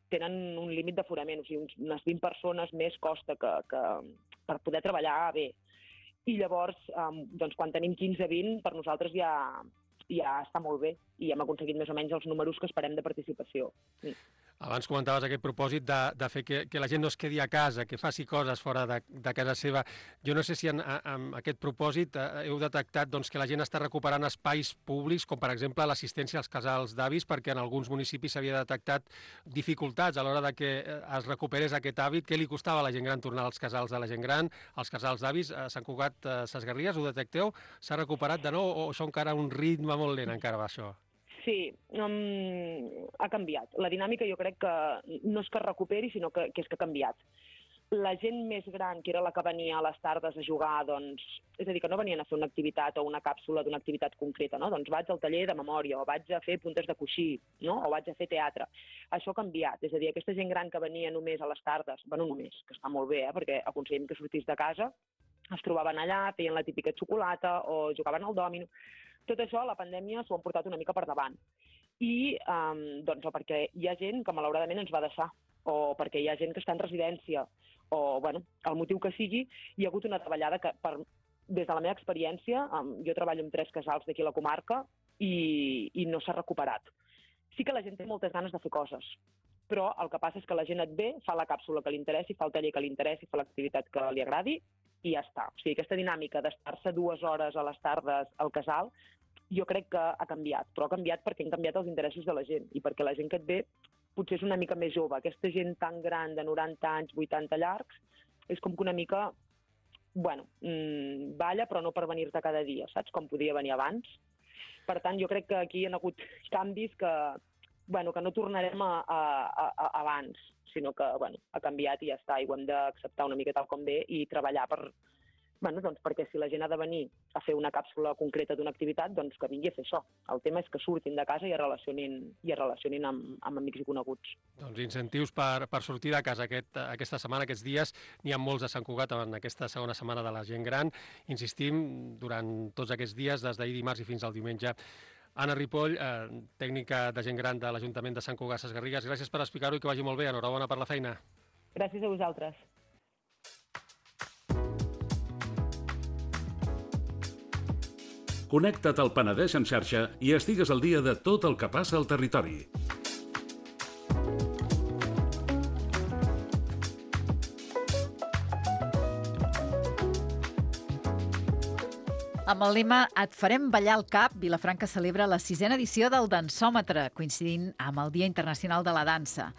tenen un límit d'aforament, o sigui, unes 20 persones més costa que per poder treballar bé. I llavors, quan tenim 15-20, per nosaltres ja està molt bé i hem aconseguit més o menys els números que esperem de participació. Sí. Abans comentaves aquest propòsit de fer que la gent no es quedi a casa, que faci coses fora de casa seva. Jo no sé si en aquest propòsit heu detectat que la gent està recuperant espais públics, com per exemple l'assistència als casals d'avis, perquè en alguns municipis s'havia detectat dificultats a l'hora de que es recuperés aquest hàbit. Què li costava a la gent gran tornar als casals de la gent gran, als casals d'avis? A Sant Cugat, Ses Garrigues, ho detecteu? S'ha recuperat de nou o això encara un ritme molt lent encara va això? Sí, ha canviat. La dinàmica jo crec que no és que es recuperi, sinó que és que ha canviat. La gent més gran, que era la que venia a les tardes a jugar, és a dir, que no venien a fer una activitat o una càpsula d'una activitat concreta, no? Doncs vaig al taller de memòria, o vaig a fer puntes de coixí, no? O vaig a fer teatre. Això ha canviat, és a dir, aquesta gent gran que venia només a les tardes, només, que està molt bé, perquè aconseguim que sortís de casa, es trobaven allà, feien la típica xocolata o jugaven al dòmino. Tot això, la pandèmia s'ho han portat una mica per davant. I o perquè hi ha gent que malauradament ens va deixar, o perquè hi ha gent que està en residència, o el motiu que sigui, hi ha hagut una davallada que, des de la meva experiència, jo treballo amb 3 casals d'aquí a la comarca i no s'ha recuperat. Sí que la gent té moltes ganes de fer coses, però el que passa és que la gent et ve, fa la càpsula que li interessi, fa el taller que li interessi, fa l'activitat que li agradi i ja està. O sigui, aquesta dinàmica d'estar-se 2 hores a les tardes al casal jo crec que ha canviat, però ha canviat perquè han canviat els interessos de la gent i perquè la gent que et ve potser és una mica més jove. Aquesta gent tan gran, de 90 anys, 80 llargs, és com que una mica, balla, però no per venir-te cada dia, saps? Com podia venir abans. Per tant, jo crec que aquí hi ha hagut canvis que no tornarem a abans, sinó que ha canviat i ja està, i ho hem d'acceptar una mica tal com ve i treballar perquè si la gent ha de venir a fer una càpsula concreta d'una activitat, doncs que vingui a fer això. El tema és que surtin de casa i es relacionin amb amics i coneguts. Doncs incentius per sortir de casa aquesta setmana, aquests dies. N'hi ha molts a Sant Cugat en aquesta segona setmana de la gent gran. Insistim, durant tots aquests dies, des d'ahir dimarts i fins al diumenge. Anna Ripoll, tècnica de gent gran de l'Ajuntament de Sant Cugat Sesgarrigues, gràcies per explicar-ho i que vagi molt bé. Enhorabona per la feina. Gràcies a vosaltres. Connecta't al Penedès en xarxa i estigues al dia de tot el que passa al territori. Amb el lema Et farem ballar el cap, Vilafranca celebra la 6a edició del Dansòmetre, coincidint amb el Dia Internacional de la Dansa.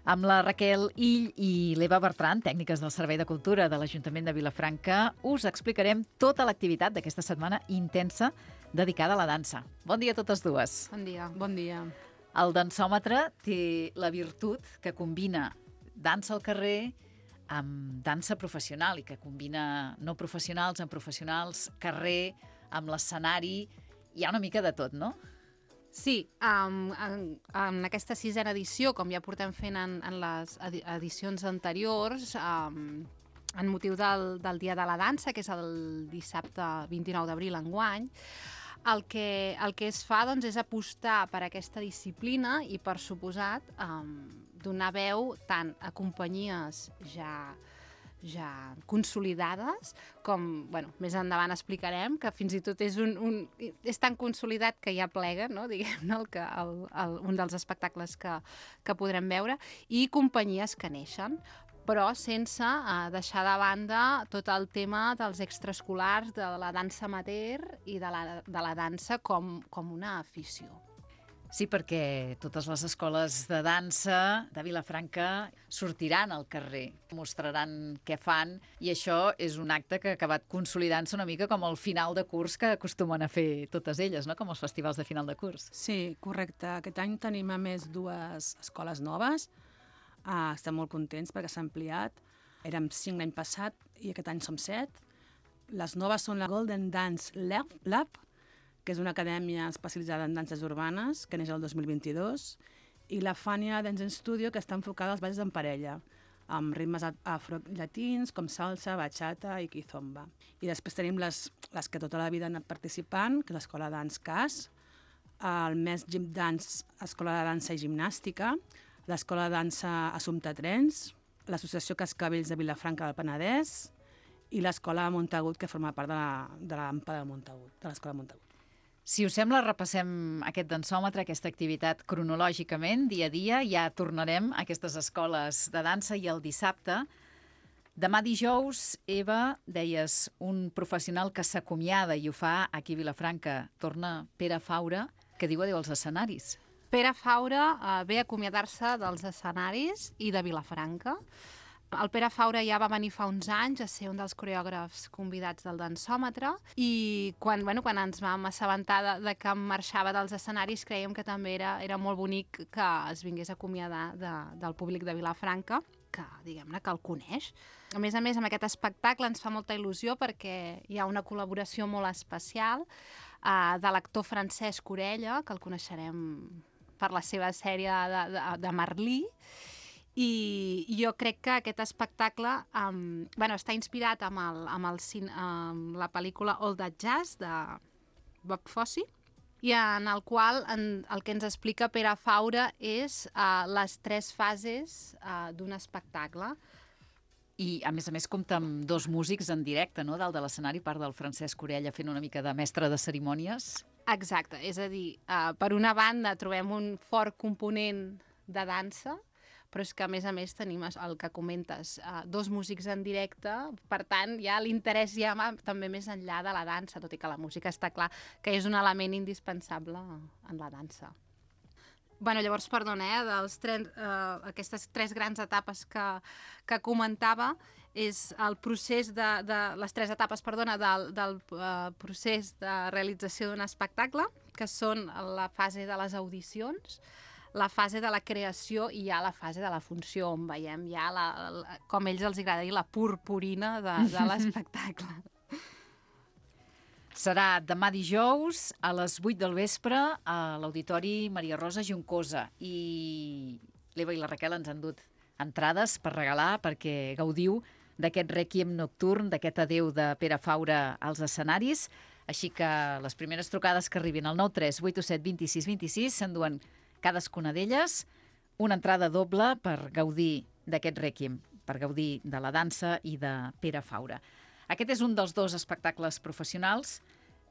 Amb la Raquel Ill i l'Eva Bertran, tècniques del Servei de Cultura de l'Ajuntament de Vilafranca, us explicarem tota l'activitat d'aquesta setmana intensa dedicada a la dansa. Bon dia a totes dues. Bon dia. Bon dia. El dansòmetre té la virtut que combina dansa al carrer amb dansa professional i que combina no professionals amb professionals, carrer, amb l'escenari. Hi ha una mica de tot, no? Sí, en aquesta 6a edició, com ja portem fent en les edicions anteriors, en motiu del Dia de la Dansa, que és el dissabte 29 d'abril enguany, el que es fa doncs, és apostar per aquesta disciplina i, per suposat, donar veu tant a companyies ja consolidades, com més endavant explicarem, que fins i tot és tan consolidat que ja plega, no? Diguem-ne, un dels espectacles que podrem veure, i companyies que neixen, però sense deixar de banda tot el tema dels extraescolars, de la dansa amateur i de la dansa com una afició. Sí, perquè totes les escoles de dansa de Vilafranca sortiran al carrer, mostraran què fan, i això és un acte que ha acabat consolidant-se una mica com el final de curs que acostumen a fer totes elles, no? Com els festivals de final de curs. Sí, correcte. Aquest any tenim a més 2 escoles noves. Estem molt contents perquè s'ha ampliat. Érem 5 l'any passat i aquest any som 7. Les noves són la Golden Dance Lab, que és una acadèmia especialitzada en danses urbanes, que neix el 2022, i la Fania Dance Studio, que està enfocada als balls en parella, amb ritmes afro-llatins com salsa, bachata i kizomba. I després tenim les que tota la vida han anat participant, que és l'Escola Dance CAS, el MES Gym Dance, Escola de Dansa i Gimnàstica, l'Escola de Dansa Assumpta Trens, l'Associació Cascavells de Vilafranca del Penedès i l'Escola Montagut, que forma part de l'AMPA de Montagut, de l'Escola Montagut. Si us sembla, repassem aquest dansòmetre, aquesta activitat cronològicament, dia a dia. Ja tornarem a aquestes escoles de dansa i el dissabte. Demà dijous, Eva, deies, un professional que s'acomiada i ho fa aquí a Vilafranca. Torna Pere Faura, que diu adéu als escenaris. Pere Faura ve a acomiadar-se dels escenaris i de Vilafranca. El Pere Faura ja va venir fa uns anys a ser un dels coreògrafs convidats del dansòmetre i quan ens vam assabentar de que marxava dels escenaris creiem que també era molt bonic que es vingués a acomiadar del públic de Vilafranca, que diguem-ne que el coneix. A més, amb aquest espectacle ens fa molta il·lusió perquè hi ha una col·laboració molt especial de l'actor Francesc Orella, que el coneixerem per la seva sèrie de Merlí. I jo crec que aquest espectacle està inspirat amb la pel·lícula All That Jazz de Bob Fosse, i en el qual el que ens explica Pere Faura és les 3 fases d'un espectacle. I, a més, compta amb 2 músics en directe, no?, dalt de l'escenari, part del Francesc Orella fent una mica de mestre de cerimònies. Exacte, és a dir, per una banda trobem un fort component de dansa, però és que, a més, tenim el que comentes, 2 músics en directe, per tant, ja l'interès ja va també més enllà de la dansa, tot i que la música està clar que és un element indispensable en la dansa. Llavors, perdona, aquestes 3 grans etapes que comentava, és el procés les 3 etapes, del procés de realització d'un espectacle, que són la fase de les audicions, la fase de la creació i ja la fase de la funció, on veiem ja, com a ells els agrada dir, la purpurina de l'espectacle. Serà demà dijous a les 8 del vespre a l'Auditori Maria Rosa Juncosa. I l'Eva i la Raquel ens han dut entrades per regalar perquè gaudiu d'aquest rèquiem nocturn, d'aquest adeu de Pere Faura als escenaris. Així que les primeres trucades que arribin al 93 827 26 26 s'enduen cadascuna d'elles una entrada doble per gaudir d'aquest rèquiem, per gaudir de la dansa i de Pere Faura. Aquest és un dels dos espectacles professionals.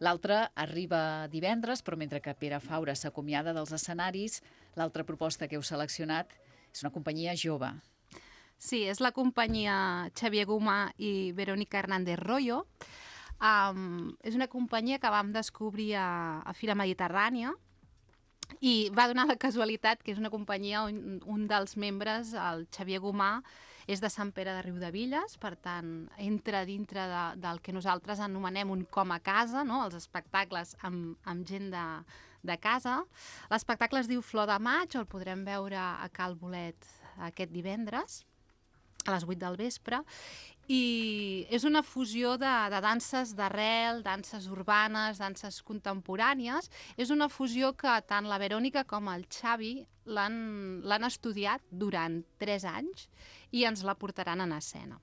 L'altre arriba divendres, però mentre que Pere Faura s'acomiada dels escenaris, l'altra proposta que heu seleccionat és una companyia jove. Sí, és la companyia Xavier Gomà i Verónica Hernández Royo. És una companyia que vam descobrir a Fira Mediterrània i va donar la casualitat que és una companyia on un dels membres, el Xavier Gomà, és de Sant Pere de Riudebitlles, per tant, entra dintre del que nosaltres anomenem un com a casa, no? Els espectacles amb gent de casa. L'espectacle es diu Flor de Maig, el podrem veure a Cal Bolet aquest divendres, a les 8 del vespre, i és una fusió de danses d'arrel, danses urbanes, danses contemporànies. És una fusió que tant la Verònica com el Xavi l'han estudiat durant 3 anys i ens la portaran en escena.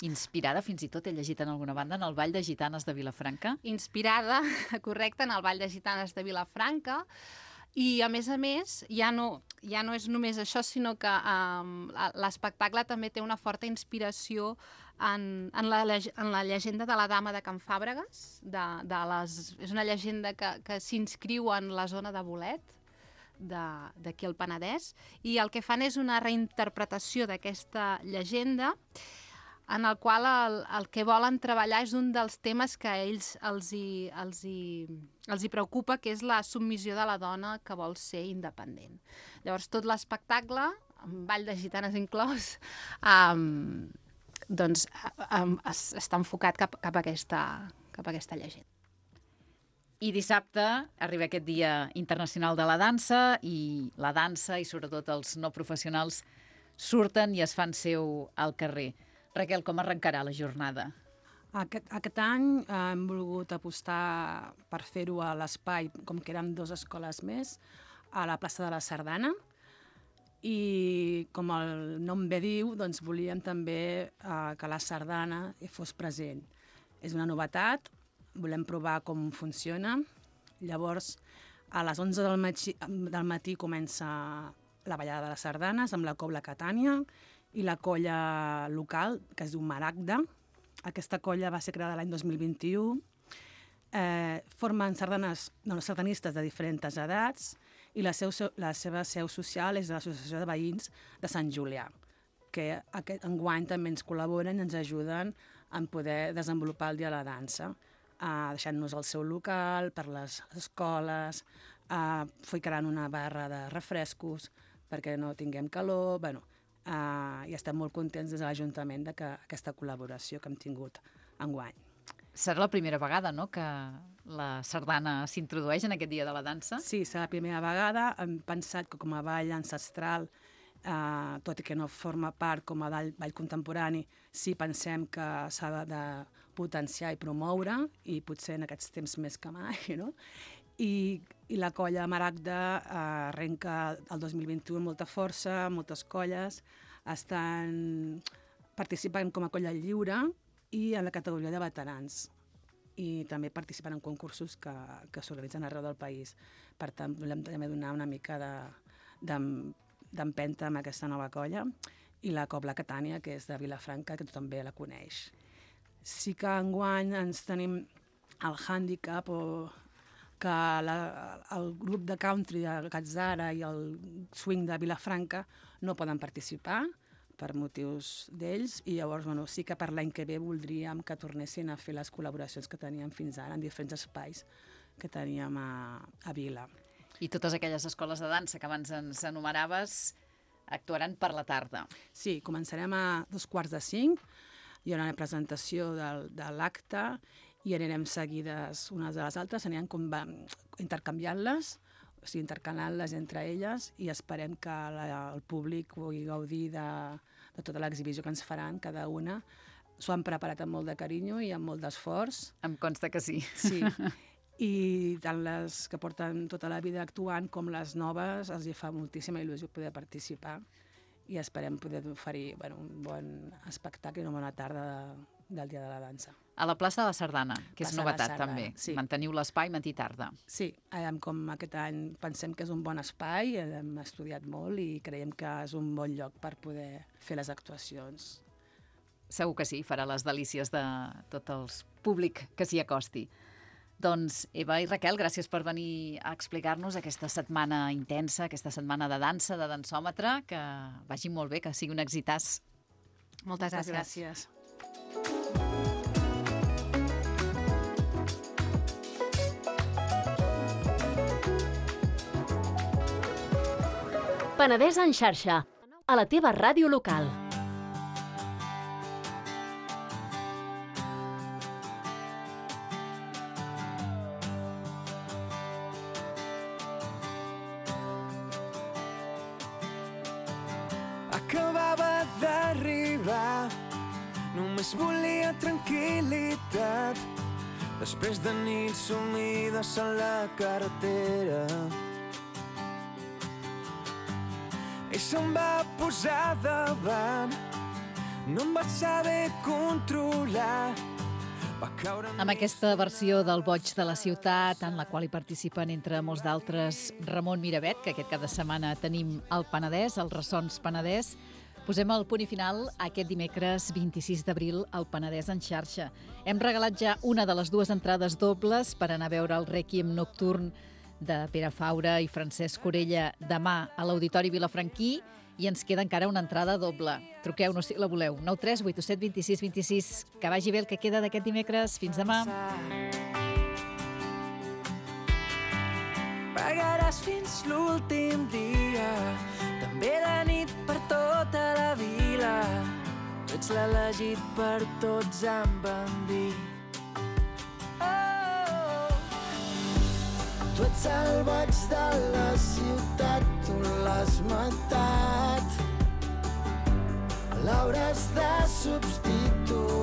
Inspirada, fins i tot he llegit en alguna banda, en el Ball de Gitanes de Vilafranca. Inspirada, correcte, en el Ball de Gitanes de Vilafranca. I, a més, ja no és només això, sinó que l'espectacle també té una forta inspiració en la llegenda de la Dama de Can Fàbregas. És una llegenda que s'inscriu en la zona de Bolet, d'aquí al Penedès, i el que fan és una reinterpretació d'aquesta llegenda en el qual el que volen treballar és un dels temes que a ells els hi preocupa, que és la submissió de la dona que vol ser independent. Llavors, tot l'espectacle, amb Ball de Gitanes inclòs, està enfocat cap a aquesta llegenda. I dissabte arriba aquest Dia Internacional de la Dansa i la dansa, i sobretot els no professionals, surten i es fan seu al carrer. Raquel, com arrencarà la jornada? Aquest any hem volgut apostar per fer-ho a l'espai, com que érem 2 escoles més, a la plaça de la Sardana. I com el nom bé diu, doncs volíem també que la sardana fos present. És una novetat, volem provar com funciona. Llavors, a les 11 del matí comença la ballada de les sardanes amb la Cobla Catània i la colla local, que es diu Maragda. Aquesta colla va ser creada l'any 2021. Formen sardanistes de diferents edats i la seva seu social és l'Associació de Veïns de Sant Julià, que enguany també ens col·laboren i ens ajuden a poder desenvolupar el Dia de la Dansa, deixant-nos el seu local per les escoles, ficaran una barra de refrescos perquè no tinguem calor, i estem molt contents des de l'Ajuntament d'aquesta col·laboració que hem tingut enguany. Serà la primera vegada, no?, que la sardana s'introdueix en aquest Dia de la Dansa? Sí, serà la primera vegada. Hem pensat que com a ball ancestral, tot i que no forma part com a ball contemporani, sí pensem que s'ha de potenciar i promoure, i potser en aquests temps més que mai, no? I la colla Maragda arrenca el 2021 amb molta força, moltes colles, estan participant com a colla lliure i en la categoria de veterans. I també participen en concursos que s'organitzen arreu del país. Per tant, volem també donar una mica d'empenta amb aquesta nova colla. I la Cobla Catània, que és de Vilafranca, que tothom bé la coneix. Sí que enguany ens tenim el hàndicap que el grup de country de Catzara i el swing de Vilafranca no poden participar per motius d'ells, i llavors sí que per l'any que ve voldríem que tornessin a fer les col·laboracions que teníem fins ara en diferents espais que teníem a Vila. I totes aquelles escoles de dansa que abans ens enumeraves actuaran per la tarda. Sí, començarem a 4:45, hi haurà una presentació de l'acte i anirem seguides unes de les altres, anirem intercanviant-les, o sigui, intercalant-les entre elles, i esperem que el públic pugui gaudir de tota l'exhibició que ens faran, cada una. S'ho han preparat amb molt de carinyo i amb molt d'esforç. Em consta que sí. Sí. I tant les que porten tota la vida actuant com les noves els hi fa moltíssima il·lusió poder participar i esperem poder oferir un bon espectacle i una bona tarda del Dia de la Dansa. A la plaça de la Sardana, que és Plaça de la novetat Sardana, també. sí. Manteniu l'espai matí i tarda. Sí, com aquest any pensem que és un bon espai, hem estudiat molt i creiem que és un bon lloc per poder fer les actuacions. Segur que sí, farà les delícies de tot el públic que s'hi acosti. Doncs Eva i Raquel, gràcies per venir a explicar-nos aquesta setmana intensa, aquesta setmana de dansa, de dansòmetre, que vagi molt bé, que sigui un exitàs. Moltes gràcies. Gràcies. Penedès en xarxa, a la teva ràdio local. Acabava d'arribar, només volia tranquil·litat, després de nits sumides a la carretera. I se'm va posar davant, no em vaig saber controlar. Amb aquesta versió del Boig de la Ciutat, en la qual hi participen, entre molts d'altres, Ramon Miravet, que aquest cap de setmana tenim al Penedès, als Ressons Penedès, posem el punt i final aquest dimecres 26 d'abril al Penedès en xarxa. Hem regalat ja una de les dues entrades dobles per anar a veure el Rèquiem Nocturn de Pere Faura i Francesc Corella demà a l'Auditori Vilafranquí, i ens queda encara una entrada doble. Truqueu-nos si la voleu. 9 3 8 7 26 26. Que vagi bé el que queda d'aquest dimecres. Fins demà. Pagaràs fins l'últim dia, també de nit per tota la vila. Tu ets l'elegit per tots, em van dir. Tu ets el boig de la ciutat, tu l'has matat. L'hauràs de substituir.